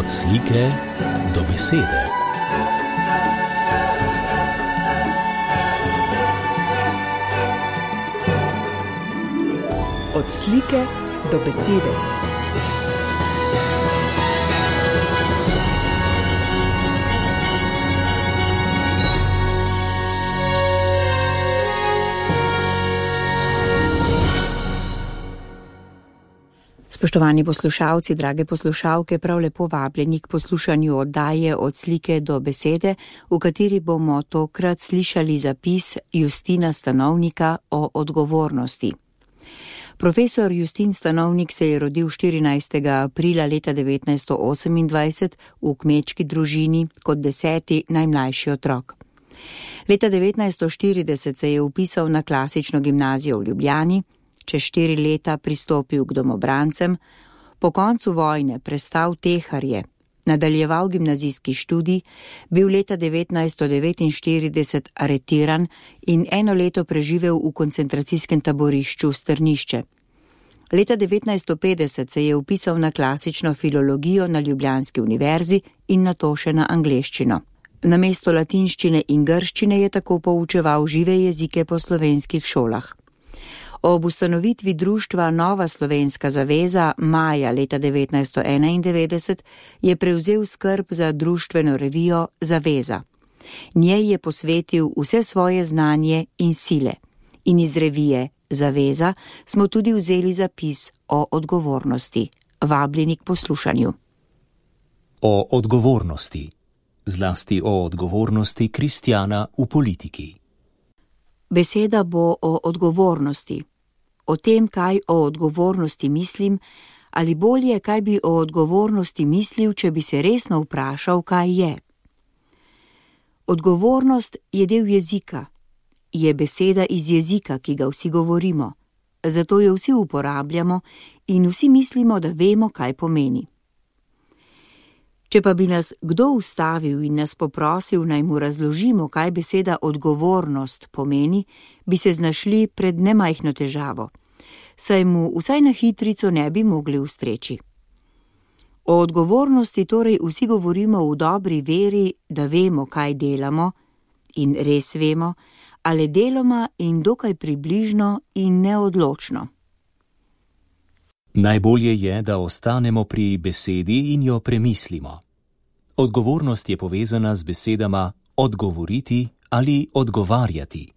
Od slike do besede. Od slike do besede. Spoštovani poslušalci, drage poslušalke, prav lepo vabljeni k poslušanju oddaje Od slike do besede, v kateri bomo tokrat slišali zapis Justina Stanovnika o odgovornosti. Profesor Justin Stanovnik se je rodil 14. aprila leta 1928 v kmečki družini kot 10. najmlajši otrok. Leta 1940 se je vpisal na klasično gimnazijo v Ljubljani, čez 4 leta pristopil k domobrancem, po koncu vojne prestal teharje, nadaljeval gimnazijski študij, bil leta 1949 aretiran in 1 leto preživel v koncentracijskem taborišču Strnišče. Leta 1950 se je vpisal na klasično filologijo na Ljubljanski univerzi in nato še na angleščino. Namesto latinščine in grščine je tako poučeval žive jezike po slovenskih šolah. Ob ustanovitvi društva Nova slovenska zaveza maja leta 1991 je prevzel skrb za društveno revijo Zaveza. Njej je posvetil vse svoje znanje in sile. In iz revije Zaveza smo tudi vzeli zapis o odgovornosti. Vabljeni k poslušanju. O odgovornosti. Zlasti o odgovornosti kristjana v politiki. Beseda bo o odgovornosti. O tem, kaj o odgovornosti mislim, ali bolje, kaj bi o odgovornosti mislil, če bi se resno vprašal, kaj je. Odgovornost je del jezika. Je beseda iz jezika, ki ga vsi govorimo. Zato jo vsi uporabljamo in vsi mislimo, da vemo, kaj pomeni. Če pa bi nas kdo ustavil in nas poprosil, naj mu razložimo, kaj beseda odgovornost pomeni, bi se znašli pred nemajhno težavo, saj mu vsaj na hitrico ne bi mogli ustreči. O odgovornosti torej vsi govorimo v dobri veri, da vemo, kaj delamo, in res vemo, ali deloma in dokaj približno in neodločno. Najbolje je, da ostanemo pri besedi in jo premislimo. Odgovornost je povezana z besedama odgovoriti ali odgovarjati.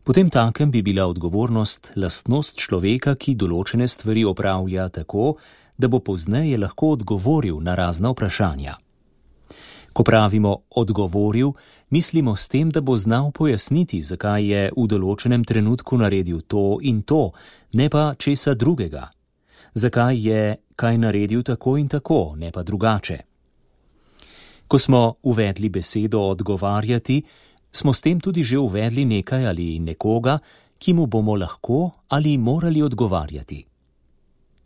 Potem takem bi bila odgovornost lastnost človeka, ki določene stvari opravlja tako, da bo pozneje lahko odgovoril na razna vprašanja. Ko pravimo odgovoril, mislimo s tem, da bo znal pojasniti, zakaj je v določenem trenutku naredil to in to, ne pa česa drugega. Zakaj je kaj naredil tako in tako, ne pa drugače. Ko smo uvedli besedo odgovarjati, smo s tem tudi že uvedli nekaj ali nekoga, ki mu bomo lahko ali morali odgovarjati.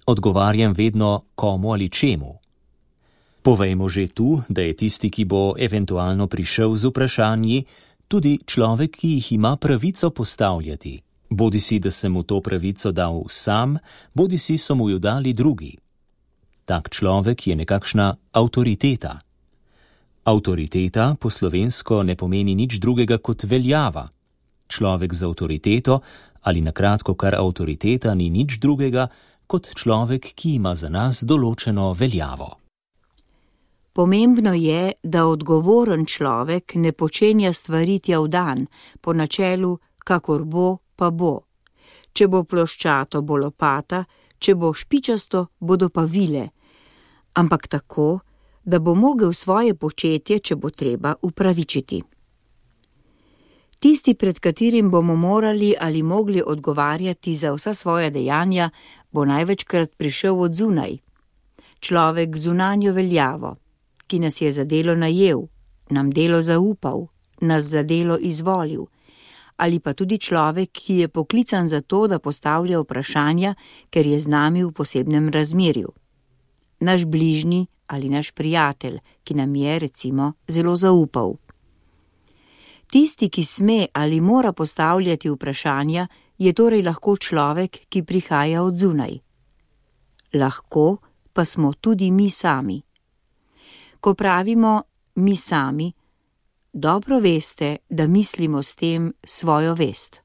Odgovarjam vedno komu ali čemu. Povejmo že tu, da je tisti, ki bo eventualno prišel z vprašanji, tudi človek, ki jih ima pravico postavljati. Bodisi, da sem mu to pravico dal sam, bodisi so mu jo dali drugi. Tak človek je nekakšna avtoriteta. Avtoriteta po slovensko ne pomeni nič drugega kot veljava. Človek z avtoriteto, ali na kratko kar avtoriteta, ni nič drugega kot človek, ki ima za nas določeno veljavo. Pomembno je, da odgovoren človek ne počenja stvari tja v dan, po načelu, kakor bo, pa bo. Če bo ploščato, bo lopata, če bo špičasto, bodo pa vile. Ampak tako, da bo mogel svoje početje, če bo treba, upravičiti. Tisti, pred katerim bomo morali ali mogli odgovarjati za vsa svoja dejanja, bo največkrat prišel od zunaj. Človek z zunanjo veljavo, ki nas je za delo najel, nam delo zaupal, nas za delo izvolil, ali pa tudi človek, ki je poklican za to, da postavlja vprašanja, ker je z nami v posebnem razmerju. Naš bližnji ali naš prijatelj, ki nam je, recimo, zelo zaupal. Tisti, ki sme ali mora postavljati vprašanja, je torej lahko človek, ki prihaja od zunaj. Lahko pa smo tudi mi sami. Ko pravimo mi sami, dobro veste, da mislimo s tem svojo vest.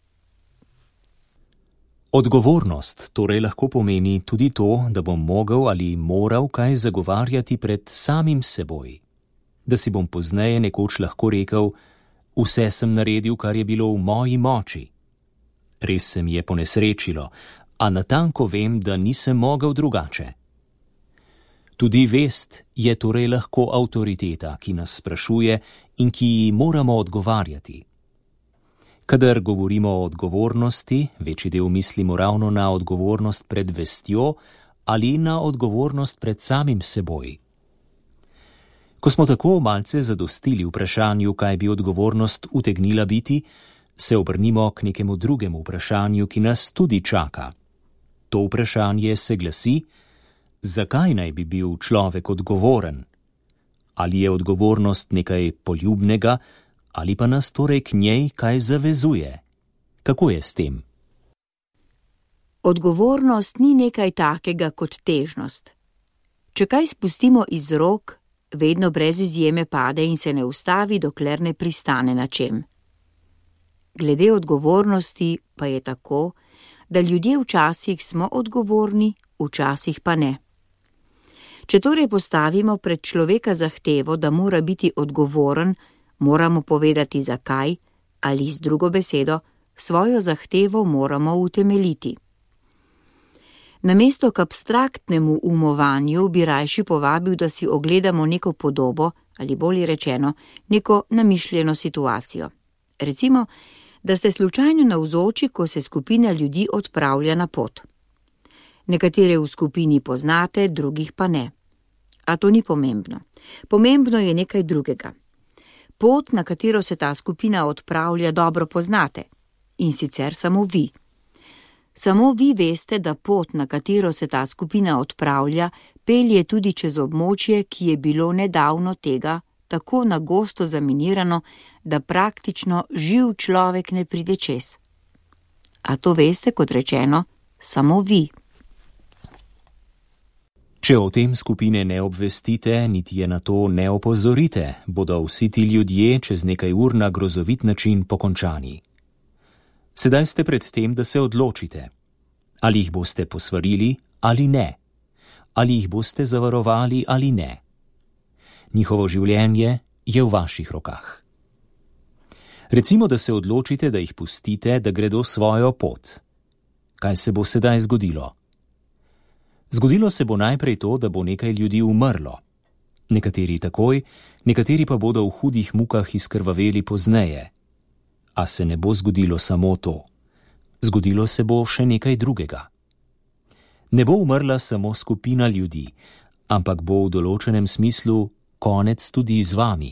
Odgovornost torej lahko pomeni tudi to, da bom mogel ali moral kaj zagovarjati pred samim seboj. Da si bom pozneje nekoč lahko rekel, vse sem naredil, kar je bilo v moji moči. Res se mi je ponesrečilo, a natanko vem, da nisem mogel drugače. Tudi vest je torej lahko avtoriteta, ki nas sprašuje in ki ji moramo odgovarjati. Kadar govorimo o odgovornosti, večji del mislimo ravno na odgovornost pred vestjo ali na odgovornost pred samim seboj. Ko smo tako malce zadostili vprašanju, kaj bi odgovornost utegnila biti, se obrnimo k nekemu drugemu vprašanju, ki nas tudi čaka. To vprašanje se glasi, zakaj naj bi bil človek odgovoren? Ali je odgovornost nekaj poljubnega, ali pa nas torej k njej kaj zavezuje? Kako je s tem? Odgovornost ni nekaj takega kot težnost. Če kaj spustimo iz rok, vedno brez izjeme pade in se ne ustavi, dokler ne pristane na čem. Glede odgovornosti pa je tako, da ljudje včasih smo odgovorni, včasih pa ne. Če torej postavimo pred človeka zahtevo, da mora biti odgovoren, moramo povedati zakaj, ali z drugo besedo, svojo zahtevo moramo utemeljiti. Namesto k abstraktnemu umovanju bi rajši povabil, da si ogledamo neko podobo, ali bolje rečeno, neko namišljeno situacijo. Recimo, da ste slučajno navzoči, ko se skupina ljudi odpravlja na pot. Nekatere v skupini poznate, drugih pa ne. A to ni pomembno. Pomembno je nekaj drugega. Pot, na katero se ta skupina odpravlja, dobro poznate. In sicer samo vi. Samo vi veste, da pot, na katero se ta skupina odpravlja, pelje tudi čez območje, ki je bilo nedavno tega tako nagosto zaminirano, da praktično živ človek ne pride čez. A to veste, kot rečeno, samo vi. Če o tem skupine ne obvestite, niti je na to ne opozorite, bodo vsi ti ljudje čez nekaj ur na grozovit način pokončani. Sedaj ste pred tem, da se odločite. Ali jih boste posvarili ali ne. Ali jih boste zavarovali ali ne. Njihovo življenje je v vaših rokah. Recimo, da se odločite, da jih pustite, da gredo svojo pot. Kaj se bo sedaj zgodilo? Zgodilo se bo najprej to, da bo nekaj ljudi umrlo. Nekateri takoj, nekateri pa bodo v hudih mukah izkrvaveli pozneje. A se ne bo zgodilo samo to. Zgodilo se bo še nekaj drugega. Ne bo umrla samo skupina ljudi, ampak bo v določenem smislu konec tudi z vami.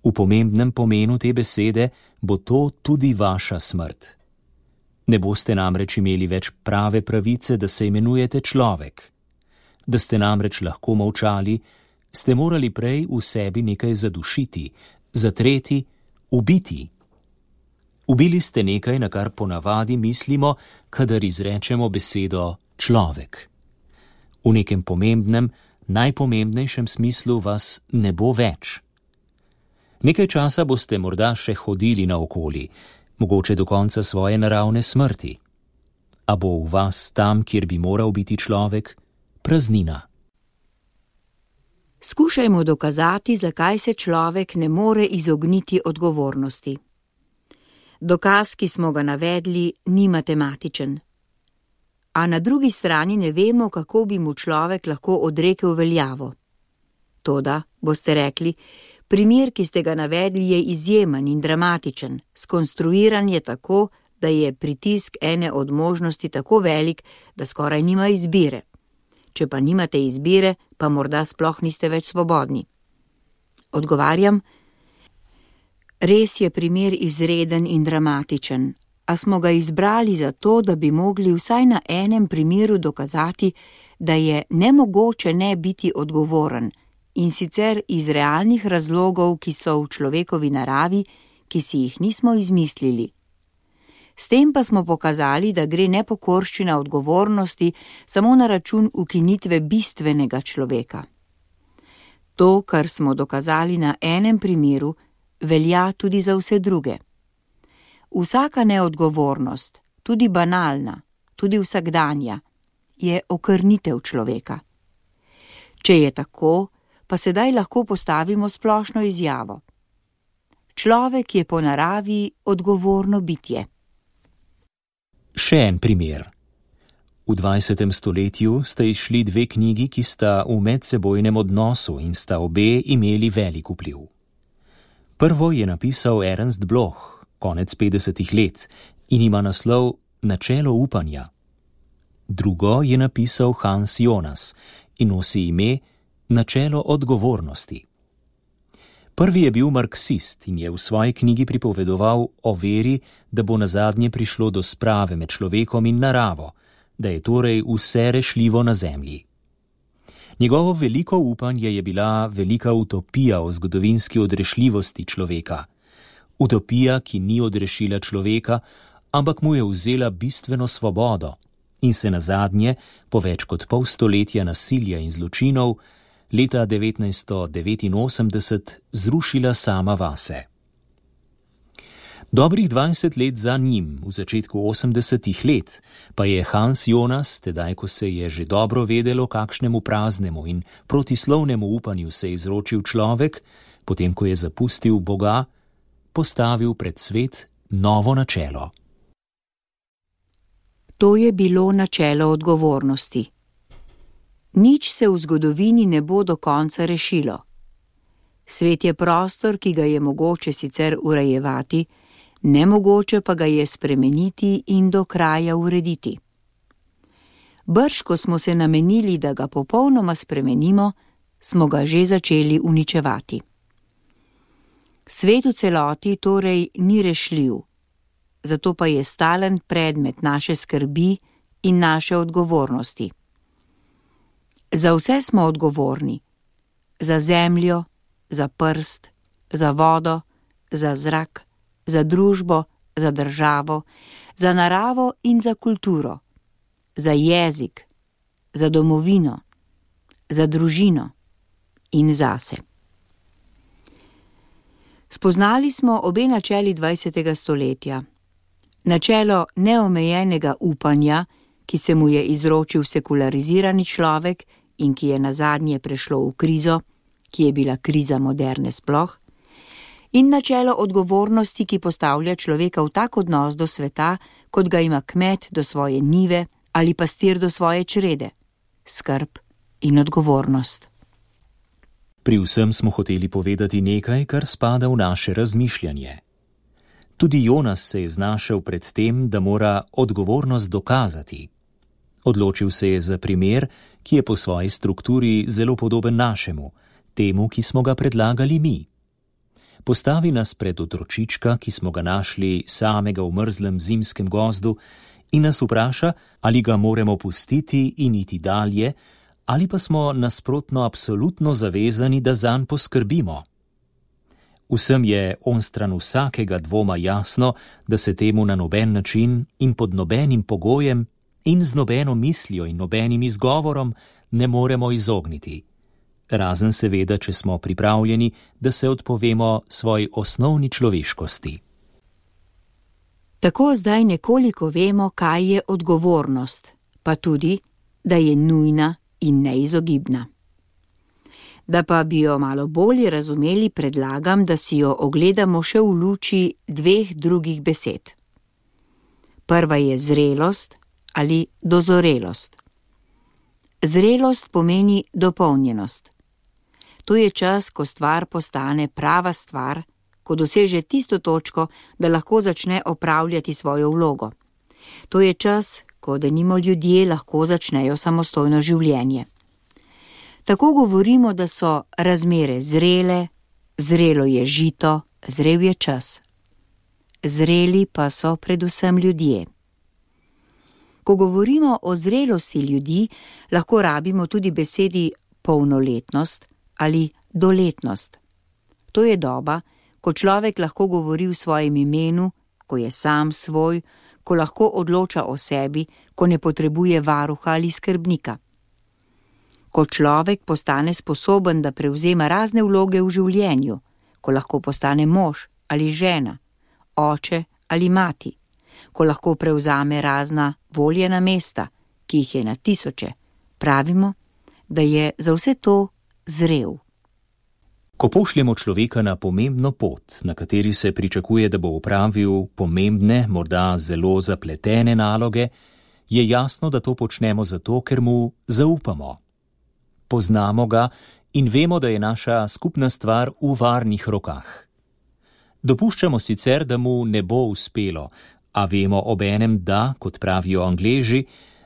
V pomembnem pomenu te besede bo to tudi vaša smrt. Ne boste namreč imeli več prave pravice, da se imenujete človek. Da ste namreč lahko molčali, ste morali prej v sebi nekaj zadušiti, zatreti, ubiti. Ubili ste nekaj, na kar ponavadi mislimo, kadar izrečemo besedo človek. V nekem pomembnem, najpomembnejšem smislu vas ne bo več. Nekaj časa boste morda še hodili naokoli, mogoče do konca svoje naravne smrti. A bo v vas tam, kjer bi moral biti človek, praznina. Skušajmo dokazati, zakaj se človek ne more izogniti odgovornosti. Dokaz, ki smo ga navedli, ni matematičen. A na drugi strani ne vemo, kako bi mu človek lahko odrekel veljavo. Toda, boste rekli, primer, ki ste ga navedli, je izjemen in dramatičen, skonstruiran je tako, da je pritisk ene od možnosti tako velik, da skoraj nima izbire. Če pa nimate izbire, pa morda sploh niste več svobodni. Odgovarjam, res je primer izreden in dramatičen, a smo ga izbrali zato, da bi mogli vsaj na enem primeru dokazati, da je nemogoče ne biti odgovoren, in sicer iz realnih razlogov, ki so v človekovi naravi, ki si jih nismo izmislili. S tem pa smo pokazali, da gre nepokorščina odgovornosti samo na račun ukinitve bistvenega človeka. To, kar smo dokazali na enem primeru, velja tudi za vse druge. Vsaka neodgovornost, tudi banalna, tudi vsakdanja, je okrnitev človeka. Če je tako, pa sedaj lahko postavimo splošno izjavo. Človek je po naravi odgovorno bitje. Še en primer. V 20. stoletju sta izšli dve knjigi, ki sta v medsebojnem odnosu in sta obe imeli velik vpliv. Prvo je napisal Ernst Bloch, konec 50. let, in ima naslov Načelo upanja. Drugo je napisal Hans Jonas in nosi ime Načelo odgovornosti. Prvi je bil marksist in je v svoji knjigi pripovedoval o veri, da bo nazadnje prišlo do sprave med človekom in naravo, da je torej vse rešljivo na zemlji. Njegovo veliko upanje je bila velika utopija o zgodovinski odrešljivosti človeka. Utopija, ki ni odrešila človeka, ampak mu je vzela bistveno svobodo in se nazadnje, po več kot pol stoletja nasilja in zločinov, leta 1989 zrušila sama vase. Dobrih 20 let za njim, v začetku 80. let, pa je Hans Jonas, tedaj ko se je že dobro vedelo, kakšnemu praznemu in protislovnemu upanju se je izročil človek, potem ko je zapustil Boga, postavil pred svet novo načelo. To je bilo načelo odgovornosti. Nič se v zgodovini ne bo do konca rešilo. Svet je prostor, ki ga je mogoče sicer urejevati, nemogoče pa ga je spremeniti in do kraja urediti. Brž, ko smo se namenili, da ga popolnoma spremenimo, smo ga že začeli uničevati. Svet v celoti torej ni rešljiv, zato pa je stalen predmet naše skrbi in naše odgovornosti. Za vse smo odgovorni. Za zemljo, za prst, za vodo, za zrak, za družbo, za državo, za naravo in za kulturo, za jezik, za domovino, za družino in zase. Spoznali smo obe načeli 20. stoletja. Načelo neomejenega upanja, ki se mu je izročil sekularizirani človek in ki je nazadnje prešlo v krizo, ki je bila kriza moderne sploh, in načelo odgovornosti, ki postavlja človeka v tak odnos do sveta, kot ga ima kmet do svoje njive ali pastir do svoje črede, skrb in odgovornost. Pri vsem smo hoteli povedati nekaj, kar spada v naše razmišljanje. Tudi Jonas se je znašel pred tem, da mora odgovornost dokazati. Odločil se je za primer, ki je po svoji strukturi zelo podoben našemu, temu, ki smo ga predlagali mi. Postavi nas pred otročička, ki smo ga našli samega v mrzlem zimskem gozdu, in nas vpraša, ali ga moramo pustiti in iti dalje, ali pa smo nasprotno absolutno zavezani, da zanj poskrbimo. Vsem je onstran vsakega dvoma jasno, da se temu na noben način in pod nobenim pogojem in z nobeno mislijo in nobenim izgovorom ne moremo izogniti. Razen seveda, če smo pripravljeni, da se odpovemo svoji osnovni človeškosti. Tako zdaj nekoliko vemo, kaj je odgovornost, pa tudi, da je nujna in neizogibna. Da pa bi jo malo bolje razumeli, predlagam, da si jo ogledamo še v luči dveh drugih besed. Prva je zrelost ali dozorelost. Zrelost pomeni dopolnjenost. To je čas, ko stvar postane prava stvar, ko doseže tisto točko, da lahko začne opravljati svojo vlogo. To je čas, ko denimo ljudje lahko začnejo samostojno življenje. Tako govorimo, da so razmere zrele, zrelo je žito, zrel je čas. Zreli pa so predvsem ljudje. Ko govorimo o zrelosti ljudi, lahko rabimo tudi besedi polnoletnost ali doletnost. To je doba, ko človek lahko govori v svojem imenu, ko je sam svoj, ko lahko odloča o sebi, ko ne potrebuje varuha ali skrbnika. ko človek postane sposoben, da prevzema razne vloge v življenju, ko lahko postane mož ali žena, oče ali mati, ko lahko prevzame razna voljena mesta, ki jih je na tisoče, pravimo, da je za vse to zrel. Ko pošljemo človeka na pomembno pot, na kateri se pričakuje, da bo opravil pomembne, morda zelo zapletene naloge, je jasno, da to počnemo zato, ker mu zaupamo. Poznamo ga in vemo, da je naša skupna stvar v varnih rokah. Dopuščamo sicer, da mu ne bo uspelo, a vemo obenem, da, kot pravijo Angleži,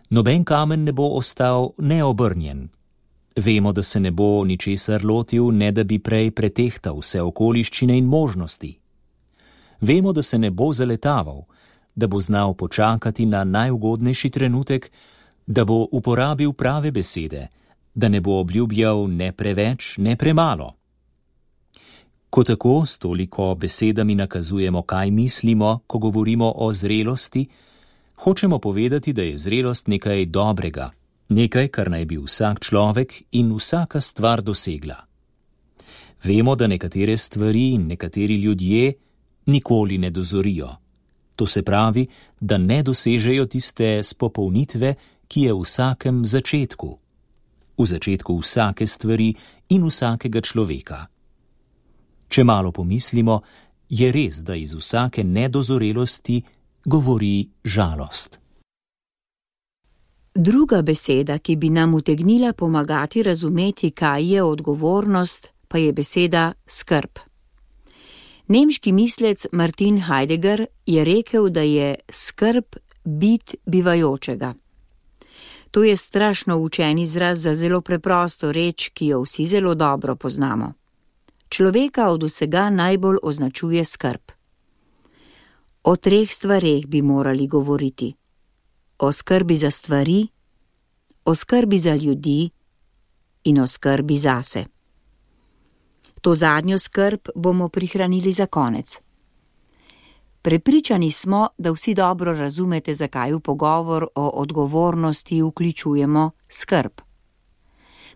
noben kamen ne bo ostal neobrnjen. Vemo, da se ne bo ničesar lotil, ne da bi prej pretehtal vse okoliščine in možnosti. Vemo, da se ne bo zaletaval, da bo znal počakati na najugodnejši trenutek, da bo uporabil prave besede, da ne bo obljubljal ne preveč, ne premalo. Ko tako s toliko besedami nakazujemo, kaj mislimo, ko govorimo o zrelosti, hočemo povedati, da je zrelost nekaj dobrega, nekaj, kar naj bi vsak človek in vsaka stvar dosegla. Vemo, da nekatere stvari in nekateri ljudje nikoli ne dozorijo. To se pravi, da ne dosežejo tiste spopolnitve, ki je v vsakem začetku. V začetku vsake stvari in vsakega človeka. Če malo pomislimo, je res, da iz vsake nedozorelosti govori žalost. Druga beseda, ki bi nam utegnila pomagati razumeti, kaj je odgovornost, pa je beseda skrb. Nemški mislec Martin Heidegger je rekel, da je skrb bit bivajočega. To je strašno učen izraz za zelo preprosto reč, ki jo vsi zelo dobro poznamo. Človeka od vsega najbolj označuje skrb. O 3 stvareh bi morali govoriti. O skrbi za stvari, o skrbi za ljudi in o skrbi zase. To zadnjo skrb bomo prihranili za konec. Prepričani smo, da vsi dobro razumete, zakaj v pogovor o odgovornosti vključujemo skrb.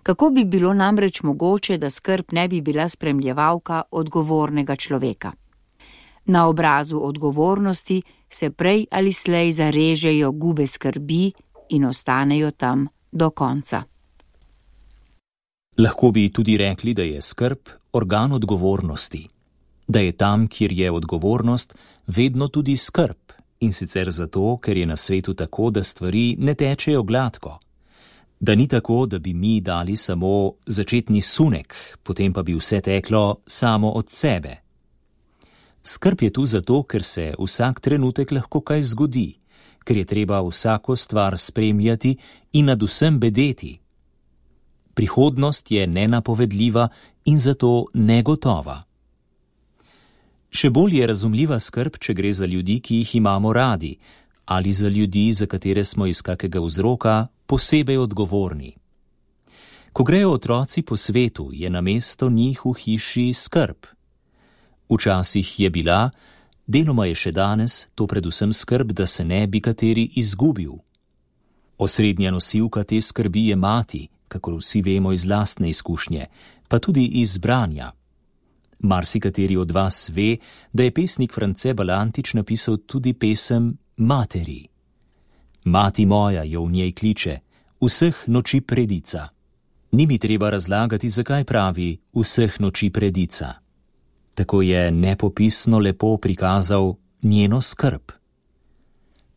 Kako bi bilo namreč mogoče, da skrb ne bi bila spremljevalka odgovornega človeka? Na obrazu odgovornosti se prej ali slej zarežejo gube skrbi in ostanejo tam do konca. Lahko bi tudi rekli, da je skrb organ odgovornosti, da je tam, kjer je odgovornost, vedno tudi skrb, in sicer zato, ker je na svetu tako, da stvari ne tečejo gladko, da ni tako, da bi mi dali samo začetni sunek, potem pa bi vse teklo samo od sebe. Skrb je tu zato, ker se vsak trenutek lahko kaj zgodi, ker je treba vsako stvar spremljati in nad vsem bedeti. Prihodnost je nenapovedljiva in zato negotova. Še bolj je razumljiva skrb, če gre za ljudi, ki jih imamo radi, ali za ljudi, za katere smo iz kakega vzroka posebej odgovorni. Ko grejo otroci po svetu, je namesto njih v hiši skrb. Včasih je bila, deloma je še danes, to predvsem skrb, da se ne bi kateri izgubil. Osrednja nosilka te skrbi je mati, kakor vsi vemo iz lastne izkušnje, pa tudi iz branja. Marsikateri od vas ve, da je pesnik France Balantič napisal tudi pesem Materi. Mati moja jo v njej kliče, vseh noči predica. Ni mi treba razlagati, zakaj pravi vseh noči predica. Tako je nepopisno lepo prikazal njeno skrb.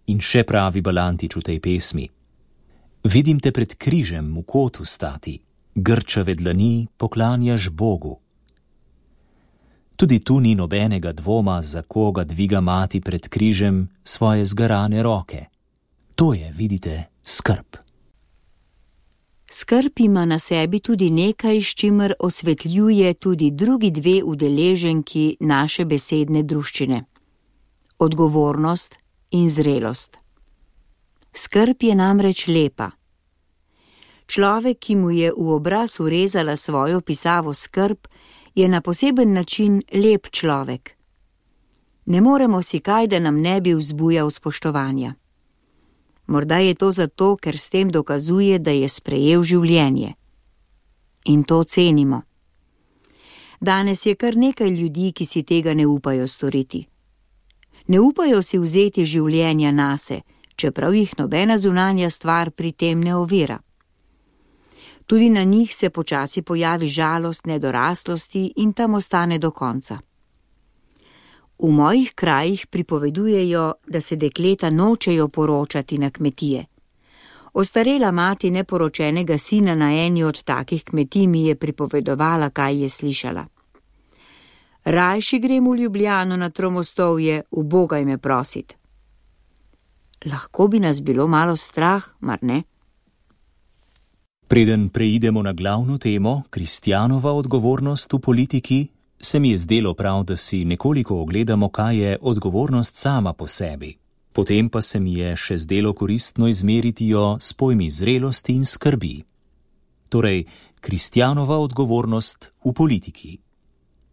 In še pravi Balantič v tej pesmi. Vidim te pred križem v kotu stati, grčave dlani poklanjaš Bogu. Tudi tu ni nobenega dvoma, za koga dviga mati pred križem svoje zgarane roke. To je, vidite, skrb. Skrb ima na sebi tudi nekaj, s čimer osvetljuje tudi drugi 2 udeleženki naše besedne druščine. Odgovornost in zrelost. Skrb je namreč lepa. Človek, ki mu je v obraz urezala svojo pisavo skrb, je na poseben način lep človek. Ne moremo si kaj, da nam ne bi vzbujal spoštovanja. Morda je to zato, ker s tem dokazuje, da je sprejel življenje. in to cenimo. Danes je kar nekaj ljudi, ki si tega ne upajo storiti. Ne upajo si vzeti življenja nase, čeprav jih nobena zunanja stvar pri tem ne ovira. Tudi na njih se počasi pojavi žalost nedoraslosti in tam ostane do konca. V mojih krajih pripovedujejo, da se dekleta nočejo poročati na kmetije. Ostarela mati neporočenega sina na eni od takih kmetij mi je pripovedovala, kaj je slišala. Rajši grem v Ljubljano na Tromostovje, ubogaj me prosit. Lahko bi nas bilo malo strah, mar ne? Preden preidemo na glavno temo, kristjanova odgovornost v politiki, se mi je zdelo prav, da si nekoliko ogledamo, kaj je odgovornost sama po sebi. Potem pa se mi je še zdelo koristno izmeriti jo s pojmi zrelosti in skrbi. Torej, kristjanova odgovornost v politiki.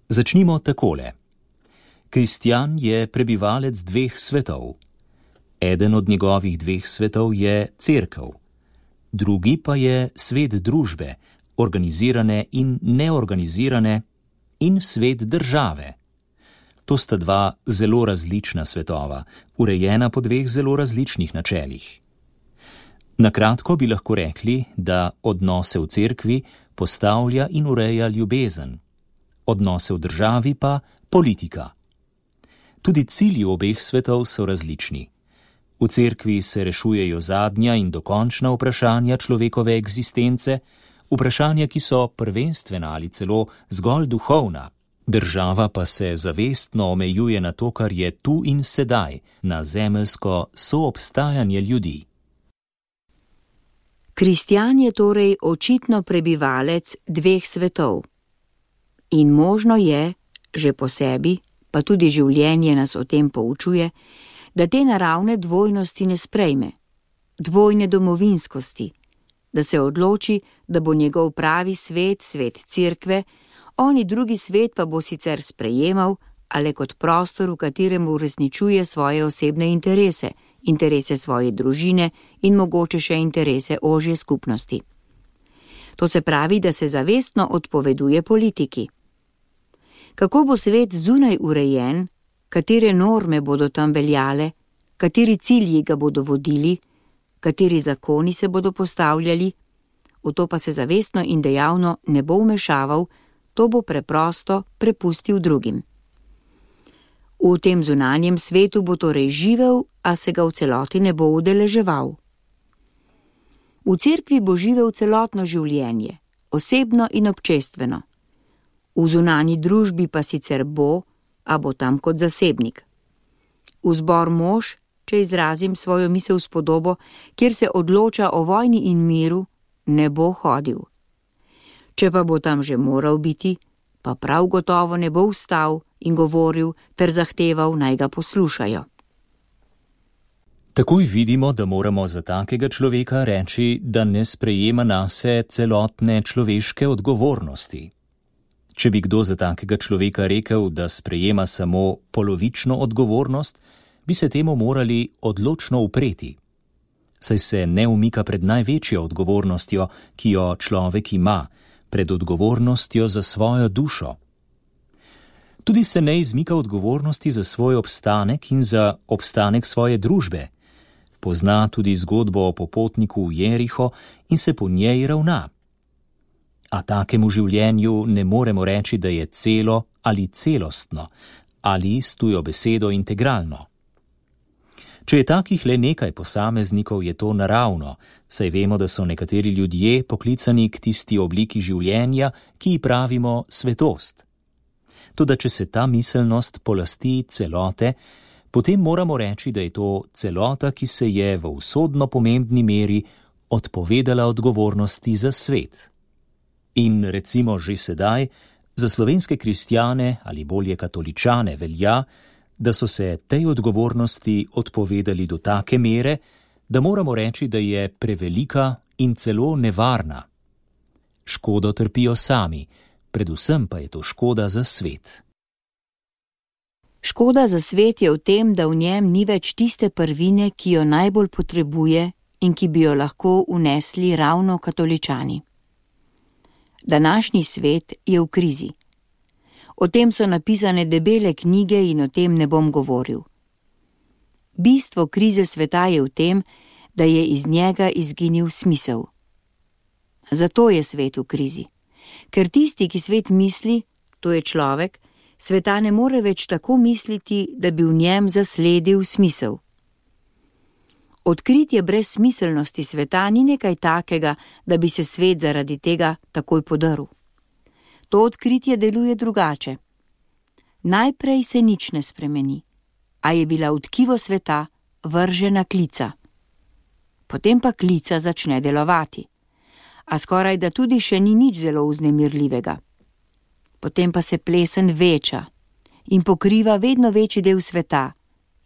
Začnimo takole. Kristjan je prebivalec dveh svetov. Eden od njegovih dveh svetov je cerkev, drugi pa je svet družbe, organizirane in neorganizirane, in svet države. To sta dva zelo različna svetova, urejena po dveh zelo različnih načelih. Na kratko bi lahko rekli, da odnose v cerkvi postavlja in ureja ljubezen, odnose v državi pa politika. Tudi cilji obeh svetov so različni. V cerkvi se rešujejo zadnja in dokončna vprašanja človekove eksistence, vprašanja, ki so prvenstvena ali celo zgolj duhovna. Država pa se zavestno omejuje na to, kar je tu in sedaj, na zemeljsko soobstajanje ljudi. Kristjan je torej očitno prebivalec dveh svetov. In možno je, že po sebi, pa tudi življenje nas o tem poučuje, da te naravne dvojnosti ne sprejme, dvojne domovinskosti, da se odloči, da bo njegov pravi svet, svet cerkve, oni drugi svet pa bo sicer sprejemal, ali kot prostor, v katerem uresničuje svoje osebne interese, interese svoje družine in mogoče še interese ožje skupnosti. To se pravi, da se zavestno odpoveduje politiki. Kako bo svet zunaj urejen, katere norme bodo tam veljale, kateri cilji ga bodo vodili, kateri zakoni se bodo postavljali, v to pa se zavestno in dejavno ne bo vmešaval, to bo preprosto prepustil drugim. V tem zunanjem svetu bo torej živel, a se ga v celoti ne bo udeleževal. V cerkvi bo živel celotno življenje, osebno in občestveno. V zunanji družbi pa sicer bo, a bo tam kot zasebnik. V zbor mož, če izrazim svojo misel s podobo, kjer se odloča o vojni in miru, ne bo hodil. Če pa bo tam že moral biti, pa prav gotovo ne bo vstal in govoril ter zahteval, naj ga poslušajo. Takoj vidimo, da moramo za takega človeka reči, da ne sprejema nase celotne človeške odgovornosti. Če bi kdo za takega človeka rekel, da sprejema samo polovično odgovornost, bi se temu morali odločno upreti. Saj se ne umika pred največjo odgovornostjo, ki jo človek ima, pred odgovornostjo za svojo dušo. Tudi se ne izmika odgovornosti za svoj obstanek in za obstanek svoje družbe. Pozna tudi zgodbo o popotniku v Jeriho in se po njej ravna. A takemu življenju ne moremo reči, da je celo ali celostno, ali s tujo besedo integralno. Če je takih le nekaj posameznikov, je to naravno, saj vemo, da so nekateri ljudje poklicani k tisti obliki življenja, ki ji pravimo svetost. Toda če se ta miselnost polasti celote, potem moramo reči, da je to celota, ki se je v usodno pomembni meri odpovedala odgovornosti za svet. In recimo že sedaj, za slovenske kristjane ali bolje katoličane velja, da so se tej odgovornosti odpovedali do take mere, da moramo reči, da je prevelika in celo nevarna. Škodo trpijo sami, predvsem pa je to škoda za svet. Škoda za svet je v tem, da v njem ni več tiste prvine, ki jo najbolj potrebuje in ki bi jo lahko unesli ravno katoličani. Današnji svet je v krizi. O tem so napisane debele knjige in o tem ne bom govoril. Bistvo krize sveta je v tem, da je iz njega izginil smisel. Zato je svet v krizi. Ker tisti, ki svet misli, to je človek, sveta ne more več tako misliti, da bi v njem zasledil smisel. Odkritje brezsmiselnosti sveta ni nekaj takega, da bi se svet zaradi tega takoj podrl. To odkritje deluje drugače. Najprej se nič ne spremeni, a je bila v tkivo sveta vržena klica. Potem pa klica začne delovati, a skoraj da tudi še ni nič zelo vznemirljivega. Potem pa se plesen veča in pokriva vedno večji del sveta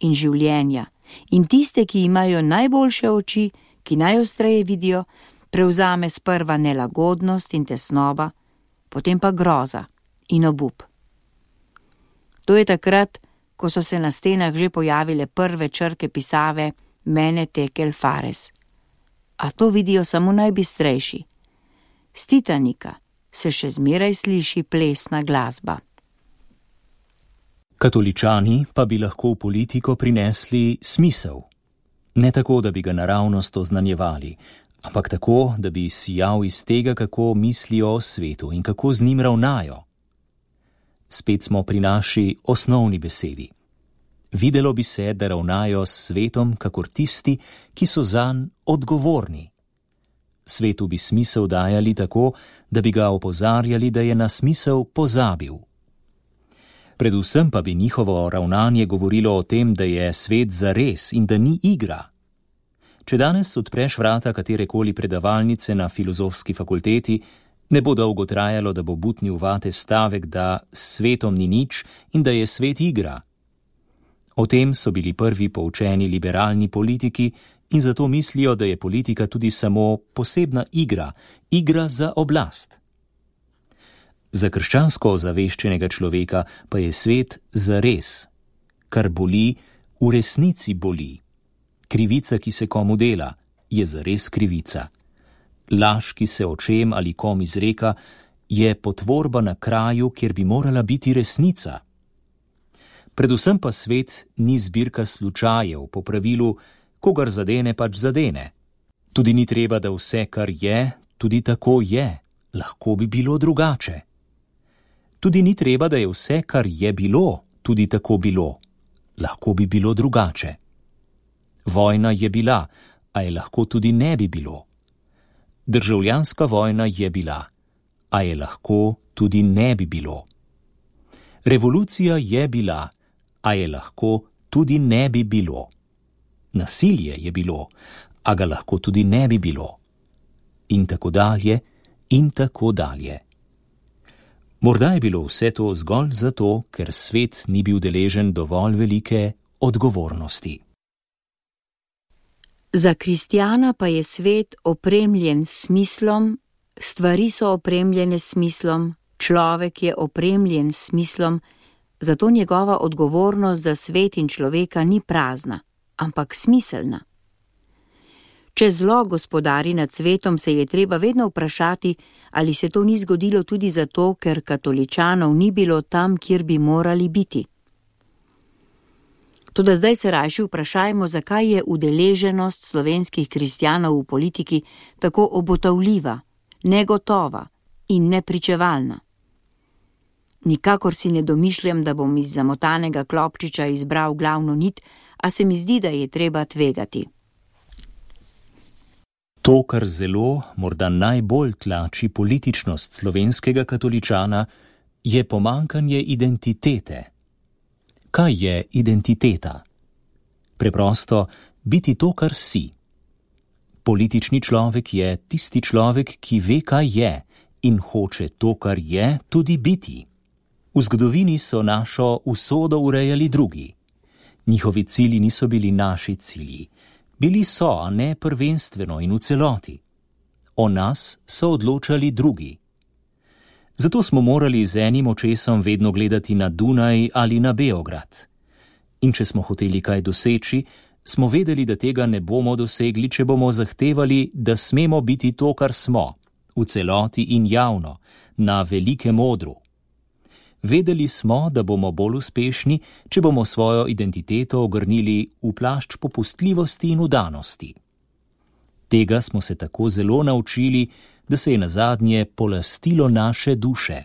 in življenja, in tiste, ki imajo najboljše oči, ki najostreje vidijo, prevzame sprva nelagodnost in tesnoba, potem pa groza in obup. To je takrat, ko so se na stenah že pojavile prve črke pisave Mene tekel fares. A to vidijo samo najbistrejši. S Titanika se še zmeraj sliši plesna glasba. Katoličani pa bi lahko v politiko prinesli smisel. Ne tako, da bi ga naravnost oznanjevali, ampak tako, da bi sijal iz tega, kako mislijo o svetu in kako z njim ravnajo. Spet smo pri naši osnovni besedi. Videlo bi se, da ravnajo s svetom kakor tisti, ki so zanj odgovorni. Svetu bi smisel dajali tako, da bi ga opozarjali, da je na smisel pozabil. Predvsem pa bi njihovo ravnanje govorilo o tem, da je svet zares in da ni igra. Če danes odpreš vrata katerekoli predavalnice na filozofski fakulteti, ne bo dolgo trajalo, da bo butnil vate stavek, da s svetom ni nič in da je svet igra. O tem so bili prvi poučeni liberalni politiki in zato mislijo, da je politika tudi samo posebna igra, igra za oblast. Za krščansko ozaveščenega človeka pa je svet zares. Kar boli, v resnici boli. Krivica, ki se komu dela, je zares krivica. Laž, ki se očem ali kom izreka, je potvorba na kraju, kjer bi morala biti resnica. Predvsem pa svet ni zbirka slučajev, po pravilu, kogar zadene pač zadene. Tudi ni treba, da vse, kar je, tudi tako je, lahko bi bilo drugače. Tudi ni treba, da je vse, kar je bilo, tudi tako bilo, lahko bi bilo drugače. Vojna je bila, a je lahko tudi ne bi bilo. Državljanska vojna je bila, a je lahko tudi ne bi bilo. Revolucija je bila, a je lahko tudi ne bi bilo. Nasilje je bilo, a ga lahko tudi ne bi bilo. In tako dalje, in tako dalje. Morda je bilo vse to zgolj zato, ker svet ni bil deležen dovolj velike odgovornosti. Za kristjana pa je svet opremljen s smislom, stvari so opremljene s smislom, človek je opremljen s smislom, zato njegova odgovornost za svet in človeka ni prazna, ampak smiselna. Če zlo gospodari nad svetom, se je treba vedno vprašati, ali se to ni zgodilo tudi zato, ker katoličanov ni bilo tam, kjer bi morali biti. Toda zdaj se rajši vprašajmo, zakaj je udeleženost slovenskih kristjanov v politiki tako obotavljiva, negotova in nepričevalna. Nikakor si ne domišljam, da bom iz zamotanega klopčiča izbral glavno nit, a se mi zdi, da je treba tvegati. To, kar zelo, morda najbolj tlači političnost slovenskega katoličana, je pomanjkanje identitete. Kaj je identiteta? Preprosto biti to, kar si. Politični človek je tisti človek, ki ve, kaj je in hoče to, kar je, tudi biti. V zgodovini so našo usodo urejali drugi. Njihovi cilji niso bili naši cilji. Bili so, a ne prvenstveno in v celoti. O nas so odločali drugi. Zato smo morali z enim očesom vedno gledati na Dunaj ali na Beograd. In če smo hoteli kaj doseči, smo vedeli, da tega ne bomo dosegli, če bomo zahtevali, da smemo biti to, kar smo, v celoti in javno, na velikem odru. Vedeli smo, da bomo bolj uspešni, če bomo svojo identiteto ogrnili v plašč popustljivosti in vdanosti. Tega smo se tako zelo naučili, da se je nazadnje polastilo naše duše.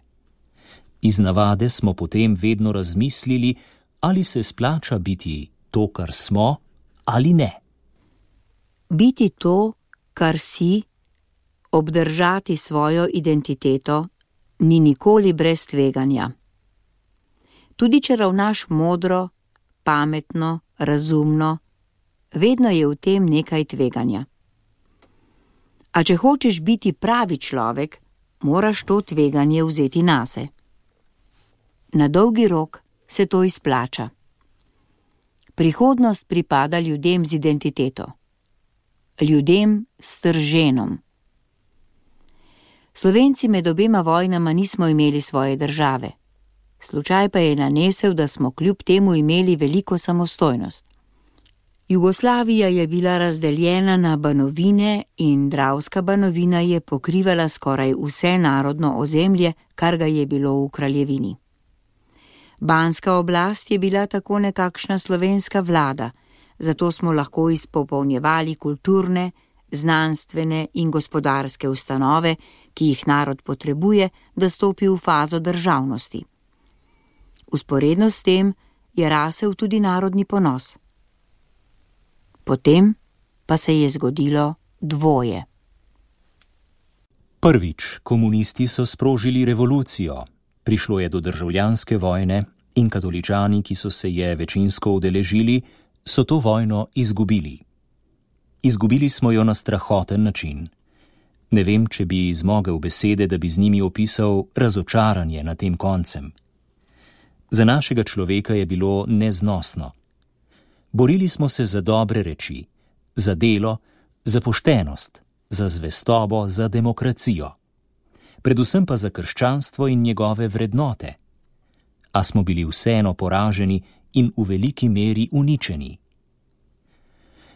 Iz navade smo potem vedno razmislili, ali se splača biti to, kar smo, ali ne. Biti to, kar si, obdržati svojo identiteto, ni nikoli brez tveganja. Tudi če ravnaš modro, pametno, razumno, vedno je v tem nekaj tveganja. A če hočeš biti pravi človek, moraš to tveganje vzeti nase. Na dolgi rok se to izplača. Prihodnost pripada ljudem z identiteto. Ljudem s trženom. Slovenci med obema vojnama nismo imeli svoje države. Slučaj pa je nanesel, da smo kljub temu imeli veliko samostojnost. Jugoslavija je bila razdeljena na banovine in Dravska banovina je pokrivala skoraj vse narodno ozemlje, kar ga je bilo v kraljevini. Banska oblast je bila tako nekakšna slovenska vlada, zato smo lahko izpopolnjevali kulturne, znanstvene in gospodarske ustanove, ki jih narod potrebuje, da stopi v fazo državnosti. Vzporedno s tem je rasel tudi narodni ponos. Potem pa se je zgodilo dvoje. Prvič, komunisti so sprožili revolucijo. Prišlo je do državljanske vojne in katoličani, ki so se je večinsko udeležili, so to vojno izgubili. Izgubili smo jo na strahoten način. Ne vem, če bi zmogel besede, da bi z njimi opisal razočaranje nad tem koncem. Za našega človeka je bilo neznosno. Borili smo se za dobre reči, za delo, za poštenost, za zvestobo, za demokracijo. Predvsem pa za krščanstvo in njegove vrednote. A smo bili vseeno poraženi in v veliki meri uničeni.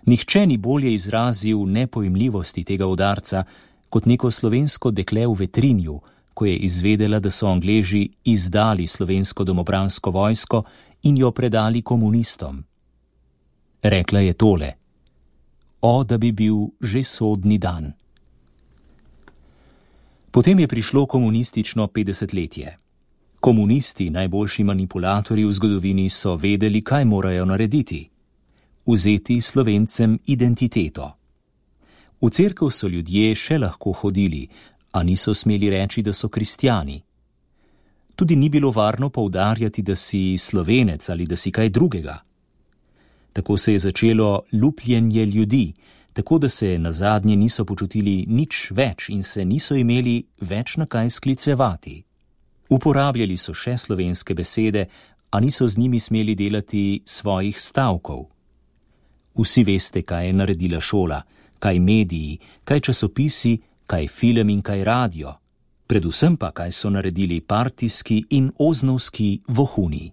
Nihče ni bolje izrazil nepojmljivosti tega udarca, kot neko slovensko dekle v Vetrinju, ko je izvedela, da so Angleži izdali slovensko domobransko vojsko in jo predali komunistom. Rekla je tole: O, da bi bil že sodni dan. Potem je prišlo komunistično 50-letje. Komunisti, najboljši manipulatorji v zgodovini, so vedeli, kaj morajo narediti. Vzeti Slovencem identiteto. V cerkev so ljudje še lahko hodili, a niso smeli reči, da so kristjani. Tudi ni bilo varno poudarjati, da si Slovenec ali da si kaj drugega. Tako se je začelo lupljenje ljudi, tako da se nazadnje niso počutili nič več in se niso imeli več na kaj sklicevati. Uporabljali so še slovenske besede, a niso z njimi smeli delati svojih stavkov. Vsi veste, kaj je naredila šola, kaj mediji, kaj časopisi, kaj film in kaj radio. Predvsem pa, kaj so naredili partijski in oznovski vohuni.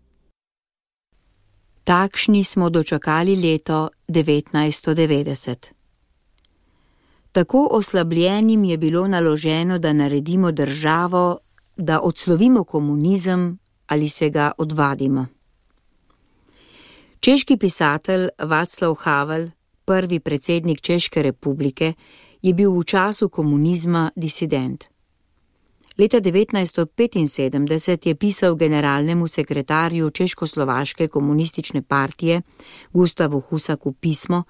Takšni smo dočakali leto 1990. Tako oslabljenim je bilo naloženo, da naredimo državo, da odslovimo komunizem ali se ga odvadimo. Češki pisatelj Václav Havel, prvi predsednik Češke republike, je bil v času komunizma disident. Leta 1975 je pisal generalnemu sekretarju Češkoslovaške komunistične partije Gustavu Husaku pismo,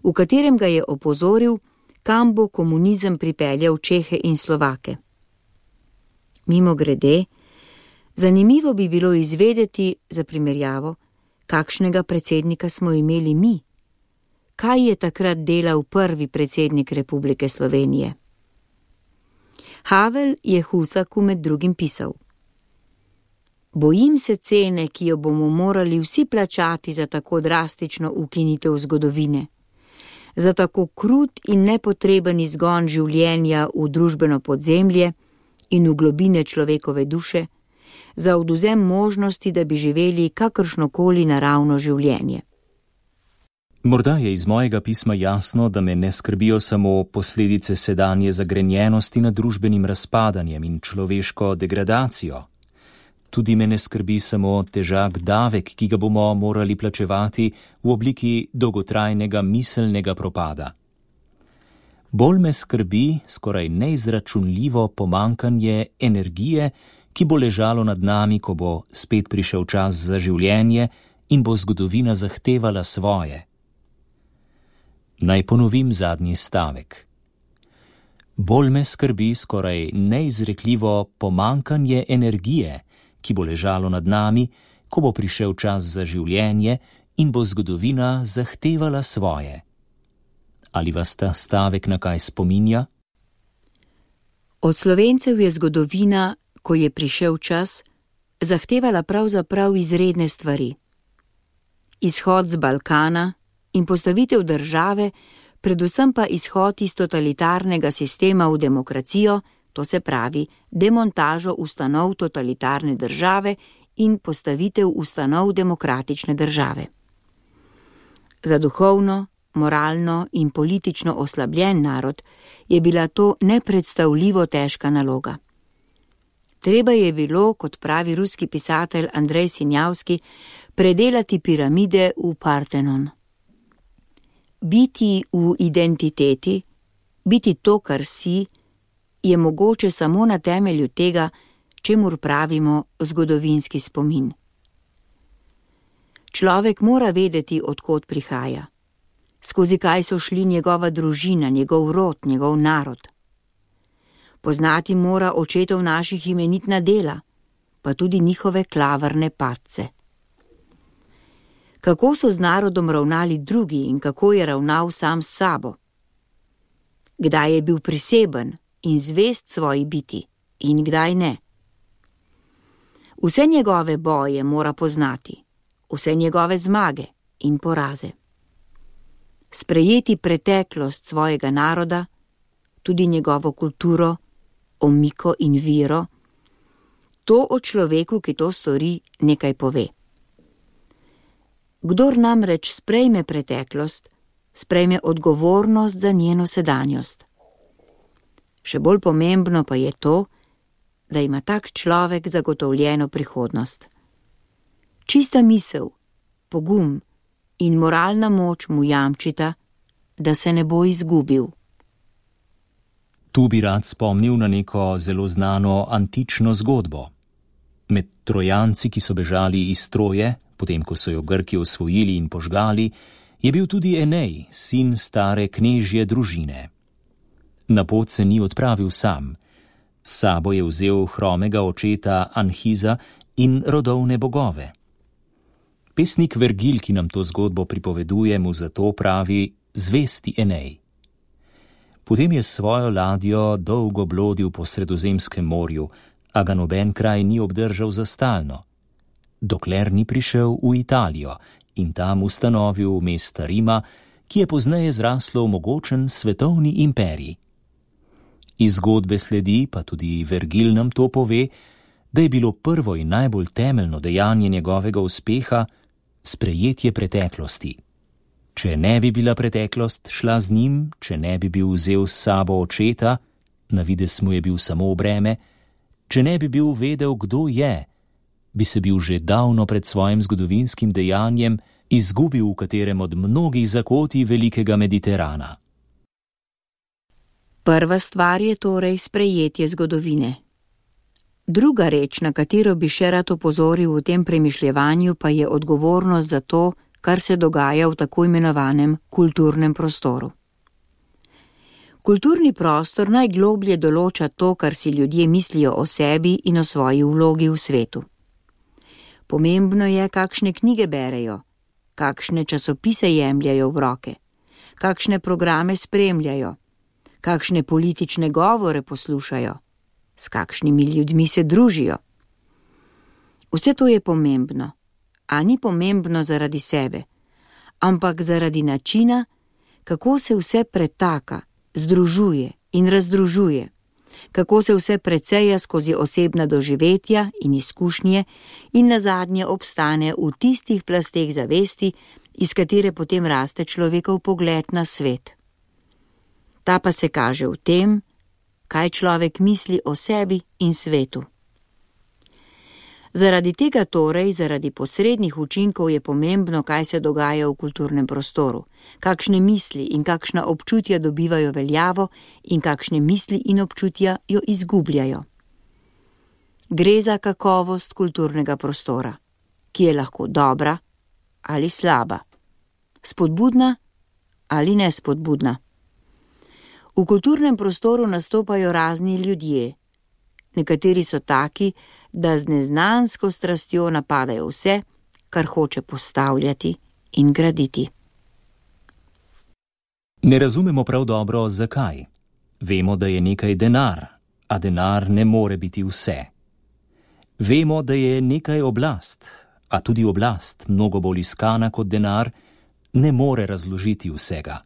v katerem ga je opozoril, kam bo komunizem pripeljal Čehe in Slovake. Mimogrede, zanimivo bi bilo izvedeti, za primerjavo, kakšnega predsednika smo imeli mi. Kaj je takrat delal prvi predsednik Republike Slovenije? Havel je Husaku med drugim pisal: Bojim se cene, ki jo bomo morali vsi plačati za tako drastično ukinitev zgodovine, za tako krut in nepotreben izgon življenja v družbeno podzemlje in v globine človekove duše, za odvzem možnosti, da bi živeli kakršnokoli naravno življenje. Morda je iz mojega pisma jasno, da me ne skrbijo samo posledice sedanje zagrenjenosti nad družbenim razpadanjem in človeško degradacijo. Tudi me ne skrbi samo težak davek, ki ga bomo morali plačevati v obliki dolgotrajnega miselnega propada. Bolj me skrbi skoraj neizračunljivo pomanjkanje energije, ki bo ležalo nad nami, ko bo spet prišel čas za življenje in bo zgodovina zahtevala svoje. Naj ponovim zadnji stavek. Bolj me skrbi skoraj neizrekljivo pomanjkanje energije, ki bo ležalo nad nami, ko bo prišel čas za življenje in bo zgodovina zahtevala svoje. Ali vas ta stavek na kaj spominja? Od Slovencev je zgodovina, ko je prišel čas, zahtevala pravzaprav izredne stvari. Izhod z Balkana in postavitev države, predvsem pa izhod iz totalitarnega sistema v demokracijo, to se pravi demontažo ustanov totalitarne države in postavitev ustanov demokratične države. Za duhovno, moralno in politično oslabljen narod je bila to nepredstavljivo težka naloga. Treba je bilo, kot pravi ruski pisatelj Andrej Sinjavski, predelati piramide v Partenon. Biti v identiteti, biti to, kar si, je mogoče samo na temelju tega, čemur pravimo zgodovinski spomin. Človek mora vedeti, od kod prihaja, skozi kaj so šli njegova družina, njegov rod, njegov narod. Poznati mora očetov naših imenitna dela, pa tudi njihove klavrne padce. Kako so z narodom ravnali drugi in kako je ravnal sam s sabo? Kdaj je bil priseben in zvest svoji biti in kdaj ne? Vse njegove boje mora poznati, vse njegove zmage in poraze. Sprejeti preteklost svojega naroda, tudi njegovo kulturo, omiko in vero, to o človeku, ki to stori, nekaj pove. Kdor namreč sprejme preteklost, sprejme odgovornost za njeno sedanjost. Še bolj pomembno pa je to, da ima tak človek zagotovljeno prihodnost. Čista misel, pogum in moralna moč mu jamčita, da se ne bo izgubil. Tu bi rad spomnil na neko zelo znano antično zgodbo. Med Trojanci, ki so bežali iz Troje, potem ko so jo Grki osvojili in požgali, je bil tudi Enej, sin stare knežje družine. Na pot se ni odpravil sam. S sabo je vzel hromega očeta Anhiza in rodovne bogove. Pesnik Vergil, ki nam to zgodbo pripoveduje, mu zato pravi zvesti Enej. Potem je svojo ladjo dolgo blodil po Sredozemskem morju, a ga noben kraj ni obdržal za stalno, dokler ni prišel v Italijo in tam ustanovil mesta Rima, ki je pozneje zraslo v mogočen svetovni imperij. Iz zgodbe sledi, pa tudi Vergil nam to pove, da je bilo prvo in najbolj temeljno dejanje njegovega uspeha sprejetje preteklosti. Če ne bi bila preteklost šla z njim, če ne bi bil vzel s sabo očeta, na videz mu je bil samo breme, če ne bi bil vedel, kdo je, bi se bil že davno pred svojim zgodovinskim dejanjem izgubil v katerem od mnogih zakotij velikega Mediterana. Prva stvar je torej sprejetje zgodovine. Druga reč, na katero bi še rad opozoril v tem premišljevanju, pa je odgovornost za to, kar se dogaja v tako imenovanem kulturnem prostoru. Kulturni prostor najgloblje določa to, kar si ljudje mislijo o sebi in o svoji vlogi v svetu. Pomembno je, kakšne knjige berejo, kakšne časopise jemljajo v roke, kakšne programe spremljajo, kakšne politične govore poslušajo, s kakšnimi ljudmi se družijo. Vse to je pomembno, a ni pomembno zaradi sebe, ampak zaradi načina, kako se vse pretaka, združuje in razdružuje, kako se vse preceja skozi osebna doživetja in izkušnje in nazadnje obstane v tistih plasteh zavesti, iz katere potem raste človekov pogled na svet. Ta pa se kaže v tem, kaj človek misli o sebi in svetu. Zaradi tega torej, zaradi posrednih učinkov je pomembno, kaj se dogaja v kulturnem prostoru, kakšne misli in kakšna občutja dobivajo veljavo in kakšne misli in občutja jo izgubljajo. Gre za kakovost kulturnega prostora, ki je lahko dobra ali slaba, spodbudna ali nespodbudna. V kulturnem prostoru nastopajo razni ljudje. Nekateri so taki, da z neznansko strastjo napadajo vse, kar hoče postavljati in graditi. Ne razumemo prav dobro, zakaj. Vemo, da je nekaj denar, a denar ne more biti vse. Vemo, da je nekaj oblast, a tudi oblast, mnogo bolj iskana kot denar, ne more razložiti vsega.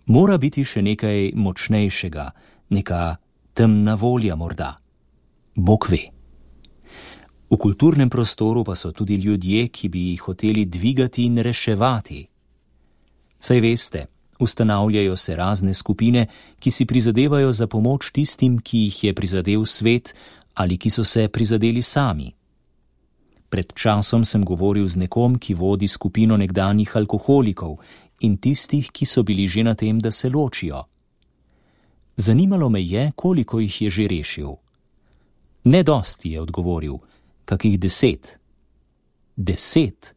Mora biti še nekaj močnejšega, neka temna volja morda. Bog ve. V kulturnem prostoru pa so tudi ljudje, ki bi jih hoteli dvigati in reševati. Saj veste, ustanavljajo se razne skupine, ki si prizadevajo za pomoč tistim, ki jih je prizadel svet ali ki so se prizadeli sami. Pred časom sem govoril z nekom, ki vodi skupino nekdanjih alkoholikov in tistih, ki so bili že na tem, da se ločijo. Zanimalo me je, koliko jih je že rešil. Ne dosti, je odgovoril, kakih 10. 10?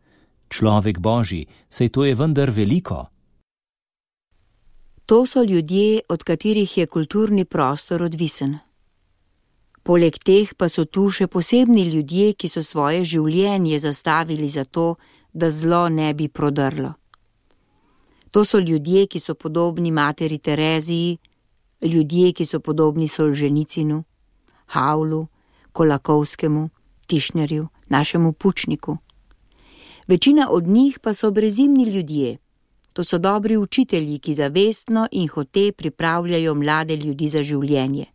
Človek Božji, saj to je vendar veliko. To so ljudje, od katerih je kulturni prostor odvisen. Poleg teh pa so tu še posebni ljudje, ki so svoje življenje zastavili za to, da zlo ne bi prodrlo. To so ljudje, ki so podobni materi Tereziji, ljudje, ki so podobni Solženicinu, Havlu, Kolakovskemu, Tišnerju, našemu Pučniku. Večina od njih pa so brezimni ljudje. To so dobri učitelji, ki zavestno in hote pripravljajo mlade ljudi za življenje.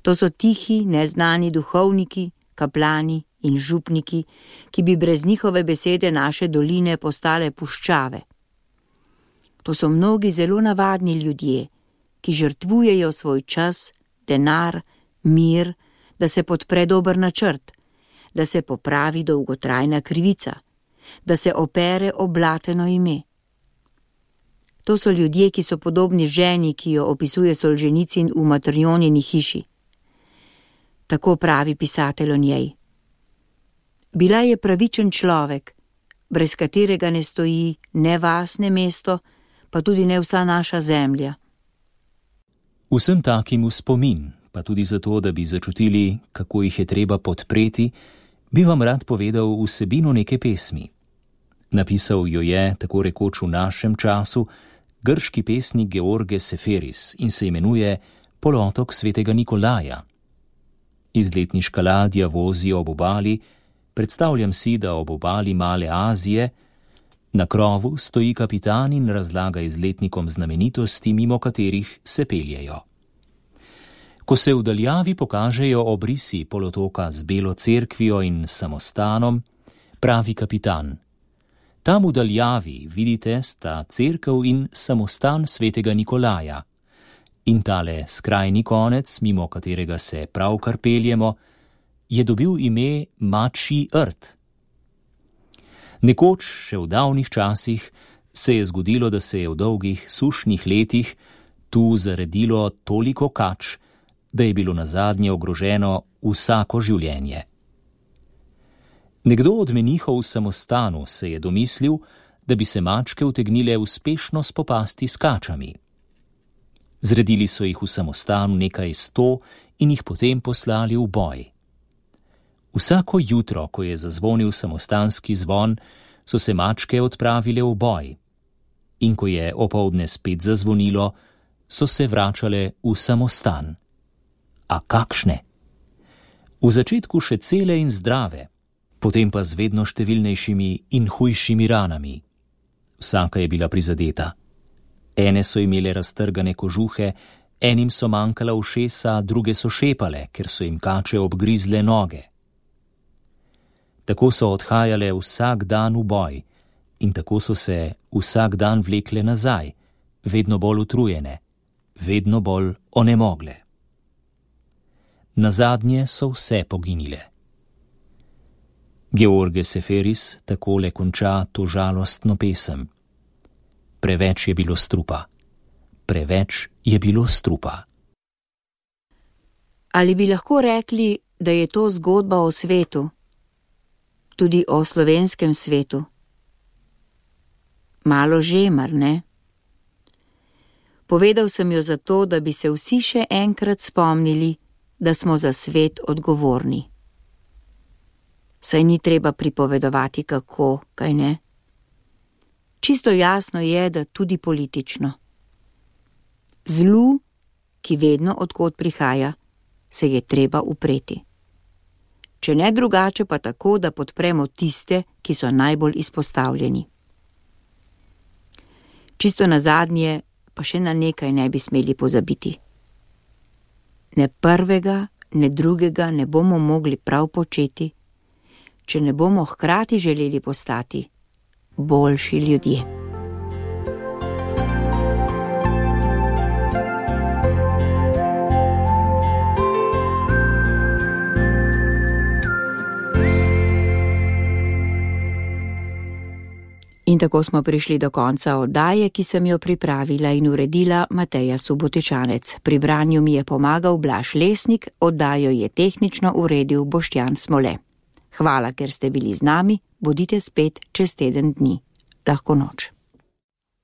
To so tihi, neznani duhovniki, kaplani in župniki, ki bi brez njihove besede naše doline postale puščave. To so mnogi zelo navadni ljudje, ki žrtvujejo svoj čas, denar, mir, da se podpre dober načrt, da se popravi dolgotrajna krivica, da se opere oblateno ime. To so ljudje, ki so podobni ženi, ki jo opisuje Solženicin v Matrjonini hiši. Tako pravi pisatelj o njej. Bila je pravičen človek, brez katerega ne stoji ne vas, ne mesto, pa tudi ne vsa naša zemlja. Vsem takim v spomin, pa tudi zato, da bi začutili, kako jih je treba podpreti, bi vam rad povedal vsebino neke pesmi. Napisal jo je, tako rekoč v našem času, grški pesnik George Seferis in se imenuje Polotok svetega Nikolaja. Izletniška ladja vozi ob obali, predstavljam si, da ob obali Male Azije, na krovu stoji kapitan in razlaga izletnikom znamenitosti, mimo katerih se peljejo. Ko se v daljavi pokažejo obrisi polotoka z Belo cerkvijo in samostanom, pravi kapitan: tam v daljavi, vidite, sta cerkev in samostan svetega Nikolaja. In tale skrajni konec, mimo katerega se pravkar peljemo, je dobil ime Mačji rt. Nekoč, še v davnih časih, se je zgodilo, da se je v dolgih sušnih letih tu zaredilo toliko kač, da je bilo nazadnje ogroženo vsako življenje. Nekdo od menihov v samostanu se je domislil, da bi se mačke utegnile uspešno spopasti s kačami. Zredili so jih v samostanu nekaj 100 in jih potem poslali v boj. Vsako jutro, ko je zazvonil samostanski zvon, so se mačke odpravile v boj. In ko je opoldne spet zazvonilo, so se vračale v samostan. A kakšne? V začetku še cele in zdrave, potem pa z vedno številnejšimi in hujšimi ranami. Vsaka je bila prizadeta. Ene so imele raztrgane kožuhe, enim so manjkala ušesa, druge so šepale, ker so jim kače obgrizle noge. Tako so odhajale vsak dan v boj in tako so se vsak dan vlekle nazaj, vedno bolj utrujene, vedno bolj onemogle. Nazadnje so vse poginile. George Seferis takole konča to žalostno pesem. Preveč je bilo strupa. Preveč je bilo strupa. Ali bi lahko rekli, da je to zgodba o svetu, tudi o slovenskem svetu? Malo že, mar ne? Povedal sem jo zato, da bi se vsi še enkrat spomnili, da smo za svet odgovorni. Saj ni treba pripovedovati kako, kaj ne? Čisto jasno je, da tudi politično. Zlu, ki vedno odkot prihaja, se je treba upreti. Če ne drugače, pa tako, da podpremo tiste, ki so najbolj izpostavljeni. Čisto nazadnje pa še na nekaj ne bi smeli pozabiti. Ne prvega, ne drugega ne bomo mogli prav početi, če ne bomo hkrati želeli postati boljši ljudje. In tako smo prišli do konca oddaje, ki sem jo pripravila in uredila Mateja Subotičanec. Pri branju mi je pomagal Blaž Lesnik, oddajo je tehnično uredil Boštjan Smole. Hvala, ker ste bili z nami, bodite spet čez teden dni. Lahko noč.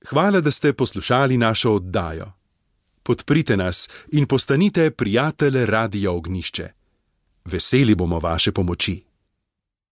Hvala, da ste poslušali našo oddajo. Podprite nas in postanite prijatelj Radia Ognjišče. Veseli bomo vaše pomoči.